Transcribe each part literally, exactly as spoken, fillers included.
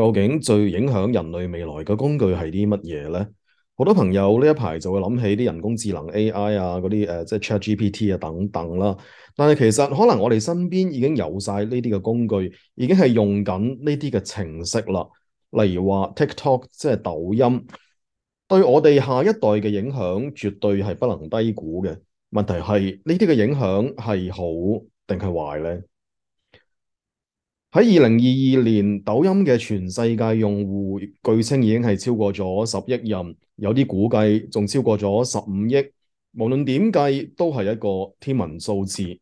究竟最影響人類未來嘅工具係啲乜嘢呢？好多朋友呢一排就會諗起啲人工智能 A I 啊，嗰啲誒即係 ChatGPT 啊等等啦。但係其實可能我哋身邊已經有晒呢啲嘅工具，已經係用緊呢啲嘅程式啦。例如話 TikTok 即係抖音，對我哋下一代嘅影響絕對係不能低估嘅。問題係呢啲嘅影響係好定係壞呢？喺二零二二年，抖音嘅全世界用戶據稱已經係超過咗十億人，有啲估計仲超過咗十五億。無論點計，都係一個天文數字。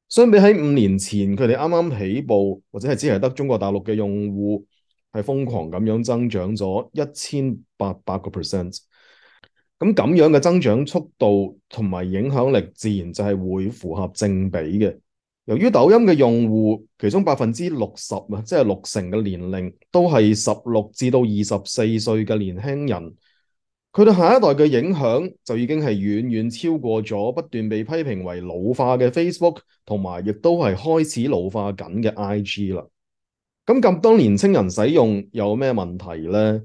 相比喺五年前，佢哋啱啱起步，或者係只係得中國大陸嘅用戶，係瘋狂咁樣增長咗一千八百個 percent。咁咁樣嘅增長速度同埋影響力，自然就係會符合正比嘅。由於抖音嘅用戶，其中百分之六十啊，即係六成嘅年齡都係十六至到二十四歲嘅年輕人，佢對下一代嘅影響就已經係遠遠超過咗不斷被批評為老化嘅 Facebook，同埋亦都係開始老化緊嘅 I G 啦。咁咁多年青人使用有咩問題呢？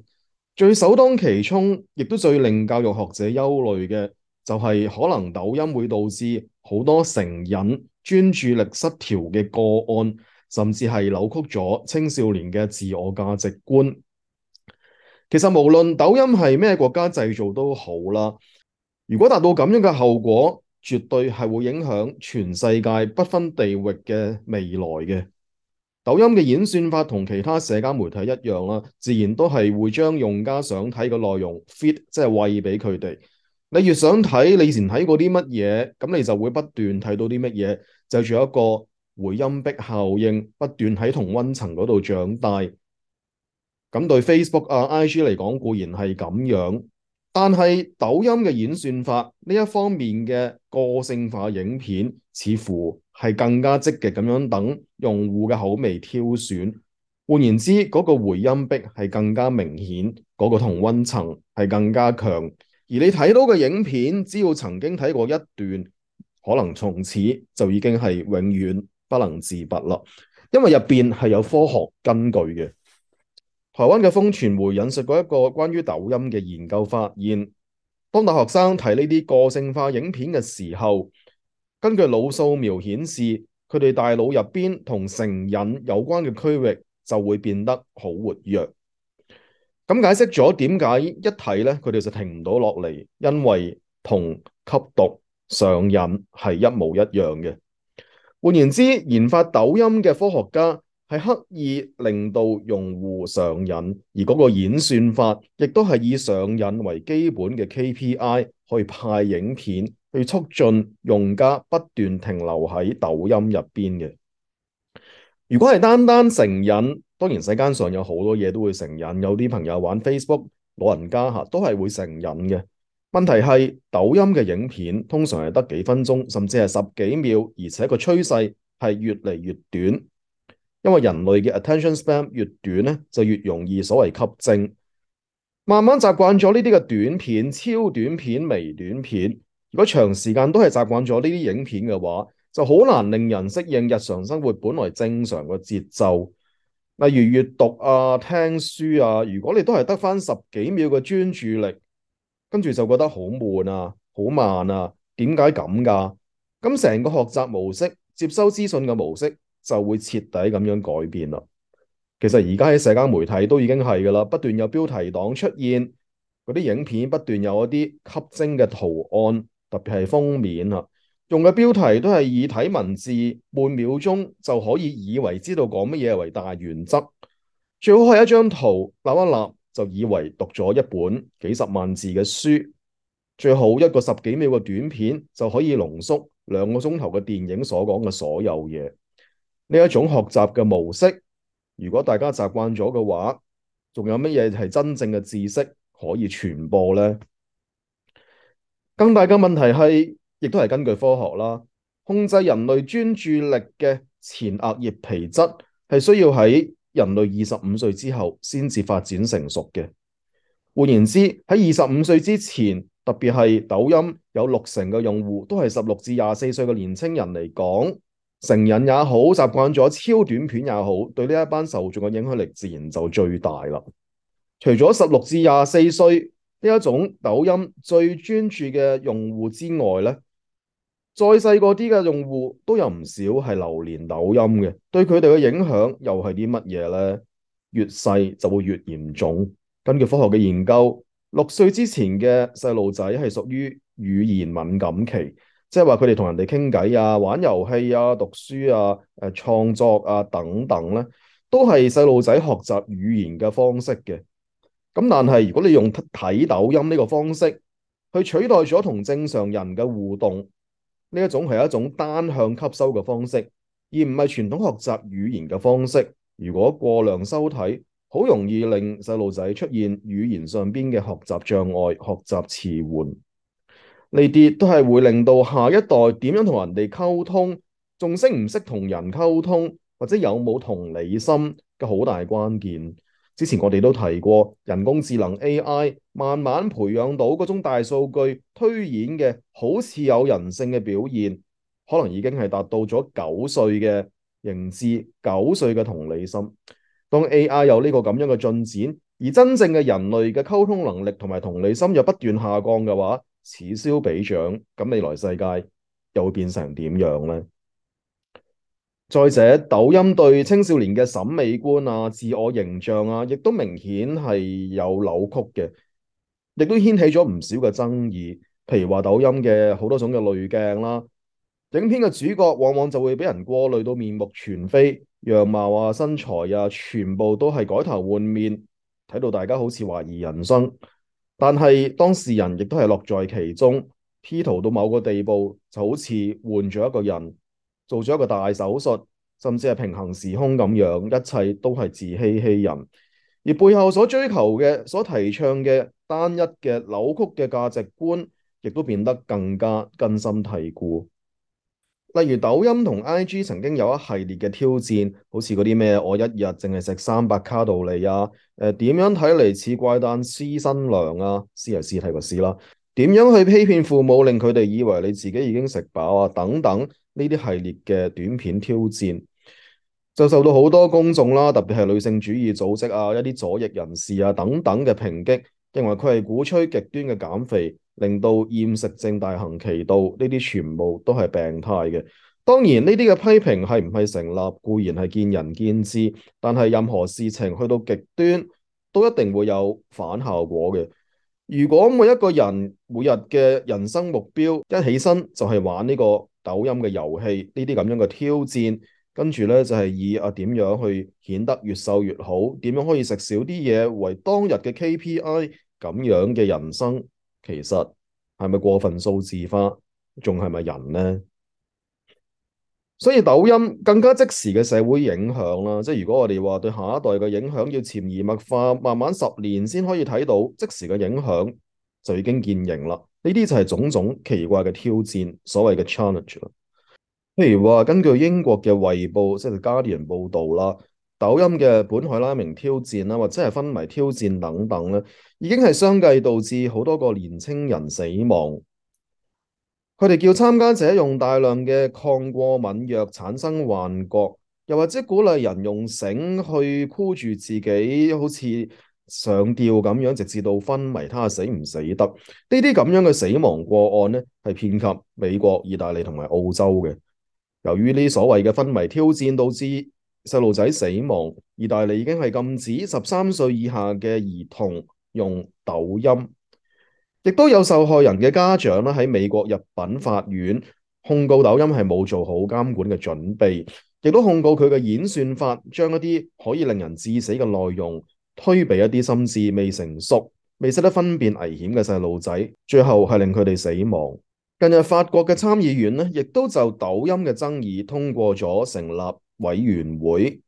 最首當其衝，亦都最令教育學者憂慮嘅，就係可能抖音會導致好多成癮、專注力失調嘅個案，甚至係扭曲咗青少年嘅自我價值觀。其實無論抖音係咩國家製造都好啦，如果達到咁樣嘅後果，絕對係會影響全世界不分地域嘅未來嘅。抖音嘅演算法同其他社交媒體一樣啦，自然都係會將用家想睇嘅內容 feed，即係餵俾佢哋。你越想睇，你以前睇過啲乜嘢，咁你就會不斷睇到啲乜嘢，就仲有一個回音壁效應，不斷喺同溫層嗰度長大。咁對 Facebook 啊、I G 嚟講固然係咁樣，但係抖音嘅演算法呢一方面嘅個性化影片，似乎係更加積極咁樣等用戶嘅口味挑選。換言之，嗰個回音壁係更加明顯，嗰個同溫層係更加強。而你睇到嘅影片，只要曾經睇過一段，可能從此就已經係永遠不能自拔啦，因為入邊係有科學根據嘅。台灣嘅風傳媒引述過一個關於抖音嘅研究發現，當大學生睇呢啲個性化影片嘅時候，根據腦掃描顯示，佢哋大腦入邊同成癮有關嘅區域就會變得好活躍。咁解釋咗點解一睇咧，佢哋就停唔到落嚟，因為同吸毒上癮係一模一樣嘅。換言之，研發抖音嘅科學家係刻意令到用戶上癮，而嗰個演算法亦都係以上癮為基本嘅 K P I 去派影片，去促進用家不斷停留喺抖音入邊嘅。如果係單單成癮，當然世間上有好多嘢都會成癮，有啲朋友玩 Facebook，老人家嚇都係會成癮嘅。問題係抖音嘅影片通常係得幾分鐘，甚至係十幾秒，而且個趨勢係越嚟越短。因為人類嘅 attention span 越短咧，就越容易所謂吸睛。慢慢習慣咗呢啲嘅短片、超短片、微短片，如果長時間都係習慣咗呢啲影片嘅話，就好難令人適應日常生活本來正常嘅節奏。例如閱讀啊、聽書啊，如果你都係得返十幾秒嘅專注力，跟住就覺得好悶啊、好慢啊，點解咁㗎？咁成個學習模式、接收資訊嘅模式就會徹底咁樣改變啦。其實而家喺社交媒體都已經係㗎啦，不斷有標題黨出現，嗰啲影片不斷有一啲吸睛嘅圖案，特別係封面啊，用嘅標題都係以睇文字半秒鐘就可以以為知道講乜嘢為大原則，最好係一張圖立一立就以為讀咗一本幾十萬字嘅書，最好一個十幾秒嘅短片就可以濃縮兩個鐘頭嘅電影所講嘅所有嘢。呢一種學習嘅模式，如果大家習慣咗嘅話，仲有乜嘢係真正嘅知識可以傳播呢？更大嘅問題係，亦都係根據科學啦，控制人類專注力嘅前額葉皮質係需要喺人類二十五歲之後先至發展成熟嘅。換言之，喺二十五歲之前，特別係抖音有六成嘅用戶都係十六至廿四歲嘅年青人嚟講，成人也好，習慣咗超短片也好，對呢一班受眾嘅影響力自然就最大啦。除咗十六至廿四歲呢一種抖音最專注嘅用戶之外咧，再細個啲嘅用戶都有唔少係流連抖音嘅，對佢哋嘅影響又係啲乜嘢呢？越細就會越嚴重。根據科學嘅研究，六歲之前嘅細路仔係屬於語言敏感期，即係話佢哋同人哋傾偈啊、玩遊戲啊、讀書啊、誒創作啊等等咧，都係細路仔學習語言嘅方式嘅。咁但係如果你用睇抖音呢個方式去取代咗同正常人嘅互動，呢一種係一種單向吸收嘅方式，而唔係傳統學習語言嘅方式。如果過量收睇，好容易令細路仔出現語言上邊嘅學習障礙、學習遲緩。呢啲都係會令到下一代點樣同人哋溝通，仲識唔識同人溝通，或者有冇同理心嘅好大關鍵。之前我哋都提過，人工智能 A I 慢慢培養到嗰種大數據推演嘅好似有人性嘅表現，可能已經係達到咗九歲嘅認知、九歲嘅同理心。當 A I 有呢個咁樣嘅進展，而真正嘅人類嘅溝通能力同埋同理心又不斷下降嘅話，此消彼長，咁未來世界又會變成點樣呢？再者，抖音對青少年嘅審美觀啊、自我形象啊，亦都明顯係有扭曲嘅，亦都掀起咗唔少嘅爭議。譬如話抖音嘅好多種嘅濾鏡啦，影片嘅主角往往就會俾人過濾到面目全非，樣貌啊、身材啊，全部都係改頭換面，睇到大家好似懷疑人生。但係當事人亦都係樂在其中，P 圖到某個地步就好似換咗一個人，做咗一個大手術，甚至係平行時空咁樣，一切都係自欺欺人。而背後所追求嘅、所提倡嘅單一嘅扭曲嘅價值觀，亦都變得更加根深蒂固。例如抖音同 I G 曾經有一系列嘅挑戰，好似嗰啲咩我一日淨係食三百卡路里啊，誒、呃、點樣睇嚟似怪誕屍新娘啊，屍係屍體個屍啦，點樣去欺騙父母令佢哋以為你自己已經食飽啊，等等呢啲系列嘅短片挑戰，就受到好多公眾啦，特別係女性主義組織啊、一啲左翼人士啊等等嘅抨擊，認為佢係鼓吹極端嘅減肥，令到厭食症大行其道，呢啲全部都係病態嘅。當然呢啲嘅批評係唔係成立，固然係見仁見智，但係任何事情去到極端，都一定會有反效果嘅。如果每一個人每日嘅人生目標一起身就係玩呢個抖音嘅遊戲，呢啲咁樣嘅挑戰，跟住咧就係以啊點樣去顯得越瘦越好，點樣可以食少啲嘢為當日嘅 K P I， 咁樣嘅人生，其實係咪過分數字化，仲係咪人呢？所以抖音更加即時嘅社會影響啦，即係如果我哋話對下一代嘅影響要潛移默化，慢慢十年先可以睇到即時嘅影響，就已經見形啦。呢啲就係種種奇怪嘅挑戰，所謂嘅 challenge 啦。譬如話，根據英國嘅衛報即係 Guardian 報導啦，抖音嘅本海拉明挑戰啦，或者係昏迷挑戰等等咧，已經係相繼導致好多個年青人死亡。佢哋叫參加者用大量嘅抗過敏藥產生幻覺，又或者鼓勵人用繩去箍住自己，好似上吊咁樣，直至到昏迷，睇下死唔死得。呢啲咁樣嘅死亡個案咧，係遍及美國、意大利同埋澳洲嘅。由於呢所謂嘅昏迷挑戰導致細路仔死亡，意大利已經係禁止十三歲以下嘅兒童用抖音。亦都有受害人嘅家長咧喺美國入稟法院控告抖音係冇做好監管嘅準備，亦都控告佢嘅演算法將一啲可以令人致死嘅內容推俾一啲心智未成熟、未識得分辨危險嘅細路仔，最後係令佢哋死亡。近日法國嘅參議院咧，亦都就抖音嘅爭議通過咗成立委員會，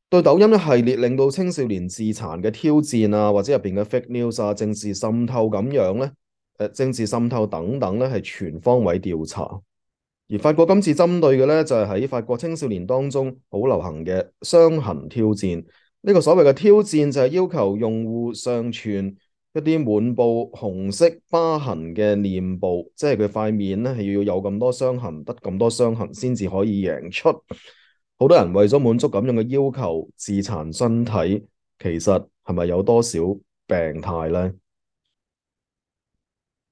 對抖音一系列令到青少年自殘嘅挑戰啊，或者入邊嘅 fake news 啊、政治滲透咁樣咧，誒、呃、政治滲透等等咧，係全方位調查。而法國今次針對嘅咧，就係、是、喺法國青少年當中好流行嘅傷痕挑戰。呢、這個所謂嘅挑戰就係要求用戶上傳一啲滿布紅色疤痕嘅臉部，即係佢塊面咧係要有咁多傷痕，得咁多傷痕先至可以贏出。好多人為咗滿足咁樣嘅要求，自殘身體，其實係咪有多少病態呢？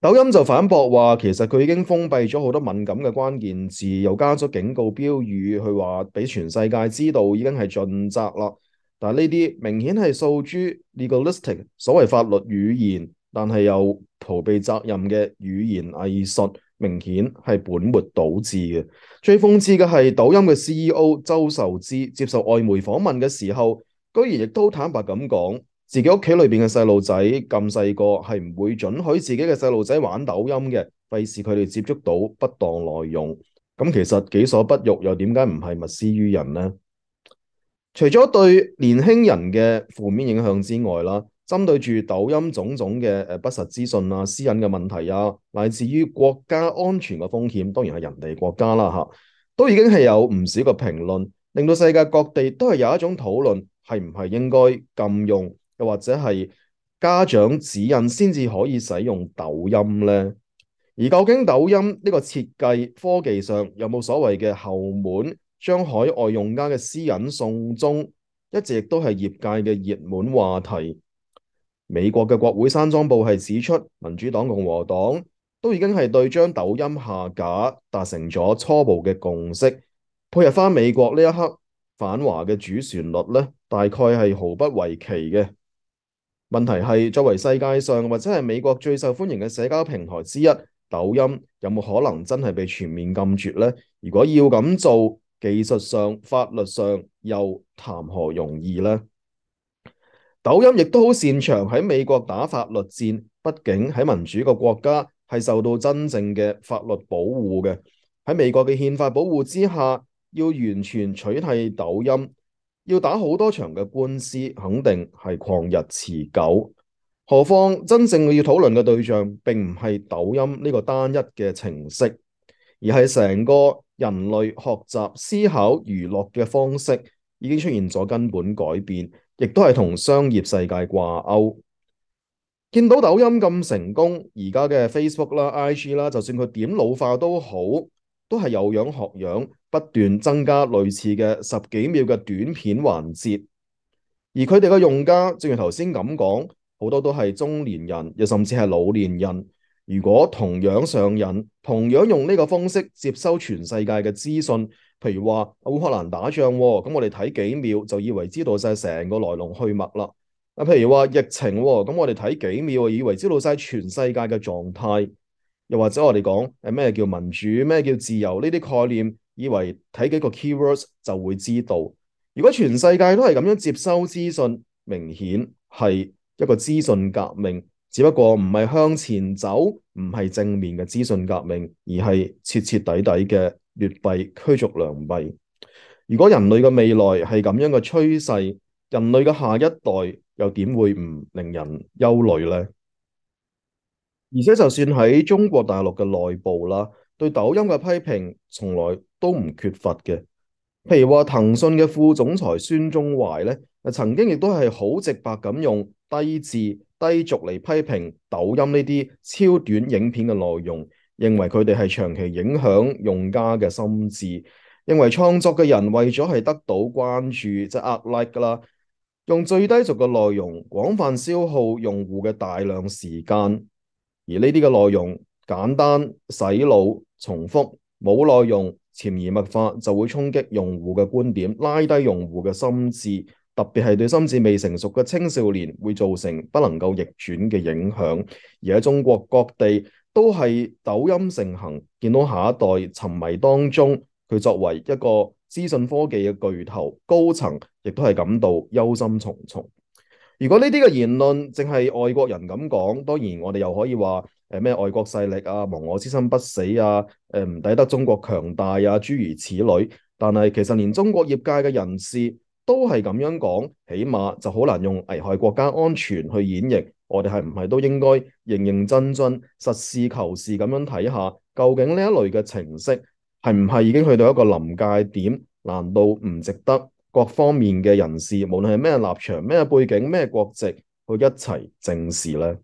抖音就反駁話，其實佢已經封閉咗好多敏感嘅關鍵字，又加咗警告標語，去話俾全世界知道已經係盡責啦。但係呢啲明顯係訴諸 legalistic 所謂法律語言，但係又逃避責任嘅語言藝術，明顯係本末倒置嘅。最諷刺嘅係，抖音嘅 C E O 周受資接受外媒訪問嘅時候，居然亦都坦白咁講，自己屋企裏邊嘅細路仔咁細個，係唔會准許自己嘅細路仔玩抖音嘅，費事佢哋接觸到不當內容。咁其實己所不欲，又點解唔係勿施於人呢？除咗對年輕人嘅負面影響之外啦，針對住抖音種種嘅誒不實資訊啊、私隱嘅問題啊，乃至於國家安全嘅風險，當然係人哋國家啦嚇，都已經係有唔少嘅評論，令到世界各地都係有一種討論，係唔係應該禁用，又或者係家長指引先至可以使用抖音呢？而究竟抖音呢個設計科技上有冇所謂嘅後門，將海外用家嘅私隱送中，一直亦都係業界嘅熱門話題。美國嘅國會山莊報係指出，民主黨、共和黨都已經係對將抖音下架達成咗初步嘅共識。配合翻美國呢一刻反華嘅主旋律呢，大概係毫不為奇嘅。問題係作為世界上或者係美國最受歡迎嘅社交平台之一，抖音有冇可能真係被全面禁絕呢？如果要咁做，技術上、法律上又談何容易呢？抖音亦都好擅長喺美國打法律戰，畢竟喺民主個國家係受到真正嘅法律保護嘅。喺美國嘅憲法保護之下，要完全取締抖音，要打好多場嘅官司，肯定係曠日持久。何況真正要討論嘅對象並唔係抖音呢個單一嘅程式，而係成個人類學習、思考、娛樂嘅方式已經出現咗根本改變，亦都係同商業世界掛鈎。見到抖音咁成功，而家嘅 Facebook 啦、I G 啦，就算佢點老化都好，都係有樣學樣，不斷增加類似嘅十幾秒嘅短片環節。而佢哋嘅用家，正如頭先咁講，好多都係中年人，又甚至係老年人。如果同樣上癮，同樣用呢個方式接收全世界嘅資訊，譬如話烏克蘭打仗，咁我哋睇幾秒就以為知道晒成個來龍去脈啦。啊，譬如話疫情，咁我哋睇幾秒，以為知道晒全世界嘅狀態。又或者我哋講誒咩叫民主，咩叫自由呢啲概念，以為睇幾個 keywords 就會知道。如果全世界都係咁樣接收資訊，明顯係一個資訊革命，只不過唔係向前走，唔係正面嘅資訊革命，而係徹徹底底嘅劣幣驅逐良幣。如果人類嘅未來係咁樣嘅趨勢，人類嘅下一代又點會唔令人憂慮呢？而且就算喺中國大陸嘅內部啦，對抖音嘅批評從來都唔缺乏嘅。譬如話騰訊嘅副總裁孫忠懷咧，曾經亦都係好直白咁用低智低俗嚟批評抖音呢啲超短影片嘅內容，認為佢哋係長期影響用家嘅心智，認為創作嘅人為咗係得到關注，即係呃 like 啦，用最低俗嘅內容廣泛消耗用戶嘅大量時間。而呢啲嘅內容簡單、洗腦、重複，冇內容、潛移默化就會衝擊用戶嘅觀點，拉低用戶嘅心智，特別係對心智未成熟嘅青少年會造成不能夠逆轉嘅影響。而喺中國各地都係抖音盛行，見到下一代沉迷當中，佢作為一個資訊科技嘅巨頭高層，亦都係感到憂心忡忡。如果呢啲嘅言論淨係外國人咁講，當然我哋又可以話誒咩外國勢力啊，亡我之心不死啊，誒唔抵得中國強大啊，諸如此類。但係其實連中國業界嘅人士都係咁樣講，起碼就好難用危害國家安全去演繹。我哋係唔係都應該認認真真、實事求是咁樣睇下，究竟呢一類嘅程式係唔係已經去到一個臨界點？難道唔值得各方面嘅人士，無論係咩立場、咩背景、咩國籍，去一齊正視呢？